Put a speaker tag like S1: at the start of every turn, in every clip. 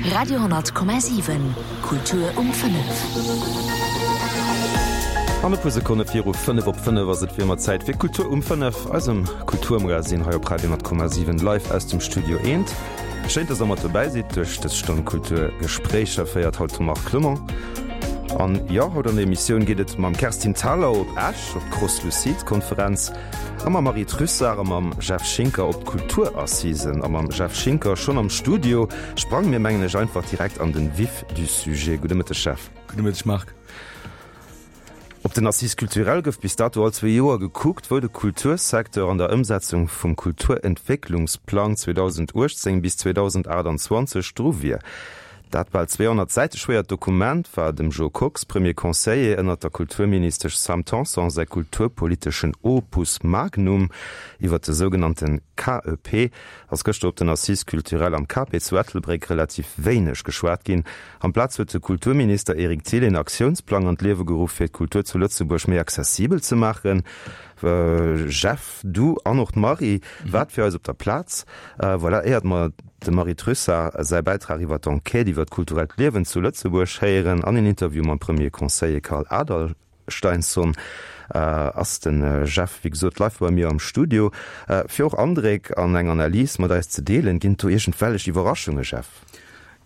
S1: Radio,7 Kultur um 5.
S2: An e puer Sekonne viru 5 op 5 ass et wéi ëmmer Zäit fir Kultur um 5, eisem Kulturmagazin hei op Radio 10,7 live aus dem Studio Eent. Schéin, dass der mat dobäi sidd duerch dës Stonn Kulturgespréicher féiert haut de Marc Clement. An jo, haut an der Emissioun geet et mam Kerstin Thalau op Esch op d'Cross-Lucide Konferenz a mam Marie Trussart a mam Jeff Schinker op d'Kulturassisen. A mam Jeff Schinker schonn am Studio sprange mir mengen ech einfach direkt an den Vif du sujet. Gudde Mëtteg Jeff.
S3: Gudde Mëtteg Marc.
S2: Op den Assises culturelles gouf bis dato all zwee Joer gekuckt, wou de Kultursecteur an der Ëmsetzung vum Kulturentwécklungsplang 2018 bis 2028 dru wier. Dat bal 200 Säite schwéiert Dokument war dem Jo Kox, Premier Conseiller ënnert der Kulturministesch Sam Tanson, säi kulturpoliteschen Opus magnum. Iwwer de sougenannte KEP ass gëschter op den Assises culturelles am KP zu Ettelbréck relativ wéineg geschwat ginn. Amplaz huet de Kulturminister Eric Thill een Aktiounsplang an d'Liewe geruff, fir d'Kultur zu Lëtzebuerg méi accessibel ze maachen. Jeff, du an och d'Marie waart fir eis op der Plaz. Voilà, éiert mer dem Marie Trussart säi Bäitrag iwwer d'Enquête iwwer d'kulturellt Liewen zu Lëtzebuerg héieren an een Interview mam Premier Conseiller Carl Adalsteinsson, ass de Jeff wéi gesot live bei mir am Studio, fir och Andréck an eng Analys mat eis ze deelen. Ginn et do iergendwellech Iwwerraschunge, Jeff?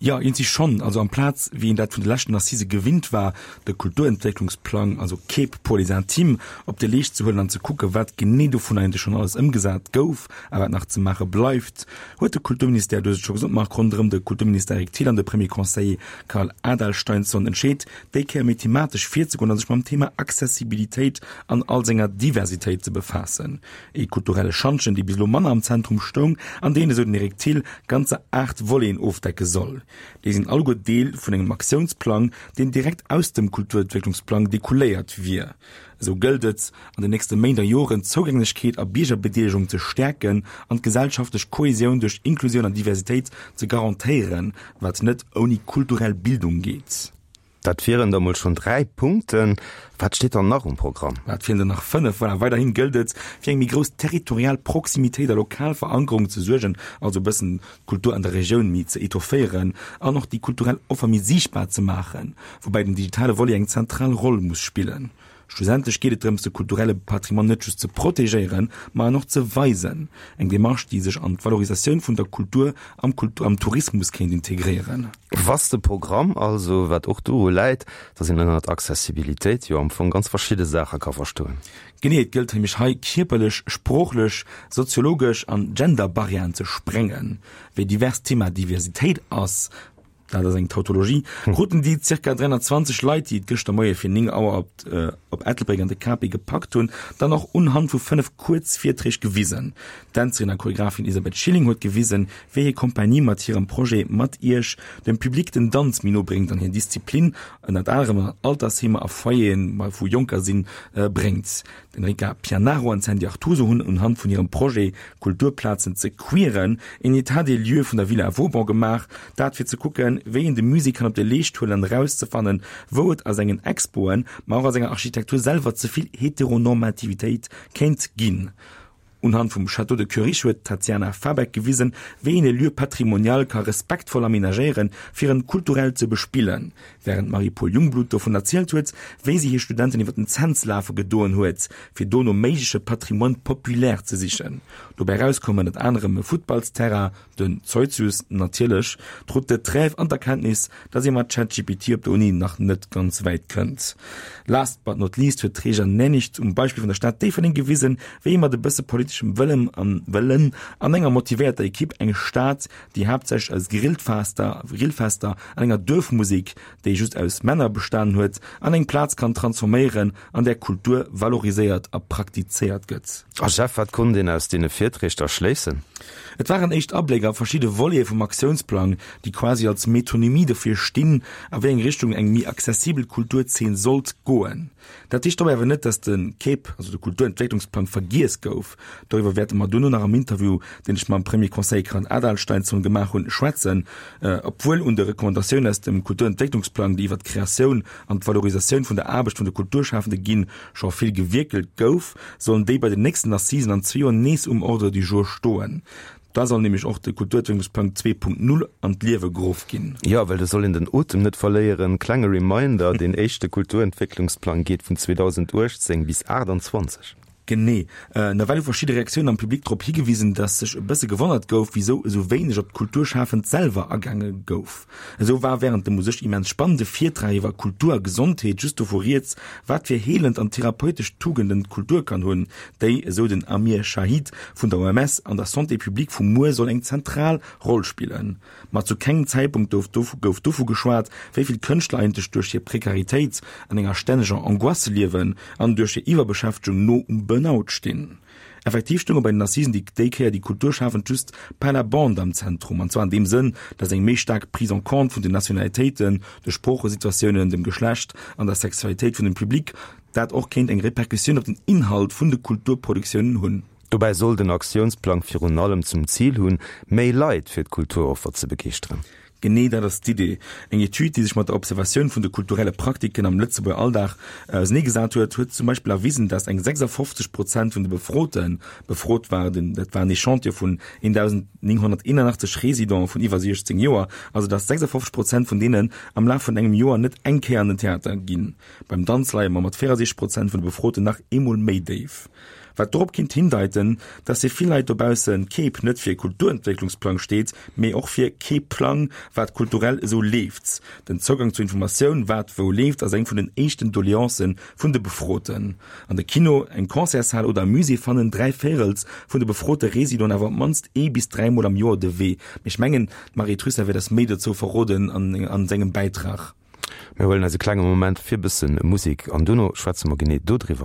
S3: Jo, iergendwéi schonn. Also amplaz, wéi een dat vun de leschten Assisë gewinnt war, de Kulturentwécklungsplang, also KEP pour les intimes, op de Leescht ze huelen an ze kucken, wat genee dovun eigentlech schonn alles ëmgesat gouf a wat nach ze maache bleift, huet de Kulturministère, du hues et scho gesot, Marc, ronderëm de Kulturminister Eric Thill an de Premier Conseiller Carl Adalsteinsson entscheet, déi Kéier méi thematesch virzegoen a sech mam Thema Accessibilitéit an all senger Diversitéit ze befaassen. Ee kulturelle Schantjen, dee bis elo manner am Zentrum stoung an deen, esou den Eric Thill, ganzer 8 Voleten ofdecke soll. Déi sinn alleguer Deel vun engem Aktiounsplang, deen direkt aus dem Kulturentwécklungsplang dekouléiert wier. Esou gëllt et, an den nächste Méint a Joren d'Zougänglechkeet a Biergerbedeelegung ze stäerken an d'gesellschaftlech Kohesioun duerch Inklusioun an Diversitéit ze garantéieren, wat net ouni kulturell Bildung geet.
S2: Dat wieren der mol schonn 3 Punkten. Wat steet dann nach um Programm?
S3: Dat wieren der nach 5. Voilà, weiderhin gëllt et, fir eng méi grouss territorial Proximitéit a lokal Verankerung ze suergen, also e bëssen d'Kultur an der Regioun méi ze etofféieren an och déi kulturell Offer méi siichtbar ze maachen, woubäi den digitale Volet eng zentral Roll muss spillen. Schlussendlech geet et drëms, de kulturelle Patrimoine net just ze protegéieren, ma en och ze weisen. Eng Demarche, déi sech an d'Valorisatioun vun der Kultur am am Tourismus kéint integréieren.
S2: Vaste Programm also, wat och doru läit, dass een ënnert Accessibilitéit jo am Fong ganz verschidde Saache ka verstoen.
S3: Genee, et gëllt nämlech hei kierperlech, sproochlech, soziologesch an Gender-Barrièren ze sprengen. Wéi divers d'Thema Diversitéit ass, dat ass eng Tautologie, kruten déi zirka 320 Leit, déi et gëschter Moie fir 9 Auer op op Ettelbréck an de Capi gepackt hunn, dann och unhand vu 5 kuerz Virträg gewisen. D'Dänzerin a Choreographin Elisabeth Schilling huet gewisen, wéi hir Kompanie mat hirem Projet Mat Iech dem Public den Danz méi no bréngt an hir Disziplin ënnert anerem an Altersheemer a Foyeren, wou Jonker sinn, bréngt. D'Enrica Pianaro an d'Sandy Artuso hunn unhand vun hirem Projet Kulturplazen ze queeren een État des lieux vun der Villa Vauban gemaach, dat fir ze kucken, wéi een de Musée kann op de Leescht huelen an erauszefannen, wou et a sengen Expoen, ma och a senger Architektur selwer ze vill Heteronormativitéit kéint ginn. Unhand vum Château de Koerich huet d'Tatiana Fabeck gewisen, wéi een e Lieu patrimonial ka respektvoll amenagéieren, fir en kulturell ze bespillen. Wärend d'Marie-Paule Jungblut dovun erzielt huet, wéi si hir Studenten iwwer den Cents lafe gedoen huet, fir do no méigleche Patrimoine populaire ze sichen. Dobäi erauskoum ënnert anerem e Futtballsterrain, Den Zeutzius natierlech, d'Route de Trèves an d'Erkenntnis, dass ee mat ChatGPT op der Uni nach net ganz wäit kënnt. Last but not least huet d'Reja Nennich um Beispill vun der Stad Déifferdeng gewisen, wéi ee mat e bësse politeschem Wëllem an Wëllen an enger motivéierter Ekipp eng Stad, déi haaptsächlech aus Grillfester Grillfester an enger Duerfmusek, déi just aus Männer bestanen huet, an eng Plaz kann transforméieren, an där Kultur valoriséiert a praktizéiert gëtt.
S2: A Jeff, wat konnt een aus deene Virträg da schléissen?
S3: Et waren éischt Abléck a verschidde Volete vum Aktiounsplang, déi quasi als Metonymie dofir stinn, a wéi eng Richtung eng méi accessibel Kulturzeen sollt goen. Dat heescht dobäi awer net, dass de KEP, also de Kulturentwécklungsplang, vergiess gouf. Doriwwer wäerte mer duerno nach am Interview, deen ech mam Premier Conseiller Carl Adalsteinsson gemaach hunn, schwätzen. Obwuel un de Recommandatiounen aus dem Kulturentwécklungsplang, déi iwwert d'Kreatioun an d'Valorisatioun vun der Aarbecht vun de Kulturschafende ginn, scho vill gewierkelt gouf, sollen déi bei den nächsten Assisen an zwee Joer nees um Ordre du jour stoen. Da soll nämlech och de Kulturentwécklungsplang 2.0 an d'Liewe geruff ginn.
S2: Jo, well do soll een den Otem net verléieren. Klenge Reminder, deen éischte Kulturentwécklungsplang geet vun 2018 bis 28.
S3: Genee. Nawell hu verschidde Reaktiounen am Public drop higewisen, datt sech e bësse gewonnert gouf, wisou esou wéineg op d'Kulturschafend selwer agaange gouf. Esou war wärend dem u sech immens spannende Virtrag iwwer Kultur a Gesondheet just dovu rieds, wat fir heelend an therapeutesch Tugenden d'Kultur kann hunn, déi, esou den Amir Shahid vun der OMS, an der Santé publique vu muer soll eng zentral Roll spillen. Ma zu kengem Zäitpunkt gouf dovu geschwat, wéi vill Kënschtler eigentlech duerch hir Prekaritéit an enger stänneger Angoisse liewen an duerch hir Iwwerbeschäftegung no um Burnout stinn. Effektiv stounge bei den Assisen déi déi Kéier déi Kulturschafend just par la bande am Zentrum, an zwar an deem Sënn, datt eng méi staark Prise en compte vun den Nationalitéiten, de Sproochesituatiounen, dem Geschlecht an der Sexualitéit vun dem Public dat och kéint eng Repercussioun op den Inhalt vun de Kulturproduktiounen hunn.
S2: Dobäi soll den Aktiounsplang virun allem zum Zil hunn, méi Leit fir d'Kulturoffer ze begeeschteren.
S3: Genee dat ass d'Idee. Eng Etüd, déi sech mat der Observatioun vun de kulturelle Praktiken am Lëtzebuerger Alldag auserneegesat huet, huet zum Beispill erwisen, datt eng 56 Prozent vun de Befroten, befrot war den, dat war en Echantillon vun 1.981 Residenten vun iwwer 16 Joer, also datt 56 Prozent vun deenen am Laf vun engem Joer net eng Kéier an den Theater ginn. Beim Danz leie mer mat 64 Prozent vun de Befroten nach eemol méi déif. Wat dorop kinnt hindeiten, dass fir vill Leit dobausse kee P net fir Kulturentwécklungsplang steet, mee och fir kee Plang, wat kulturell esou leeft. Den Zougang zur Informatioun, wat wou leeft, ass eng vun den éischten Doleancen vun de Befroten. An de Kino, eng Concertshal oder e Musée fannen dräivéirels vun de befrote Residenten awer op d'mannst ee bis dräimol am Joer de Wee. Mee ech mengen, d'Marie Trussart wäert eis méi dozou verroden an sengem Bäitrag.
S2: Mir huelen eis e klenge Moment fir bëssen Musik an dono schwätze mer genee dodriwwer.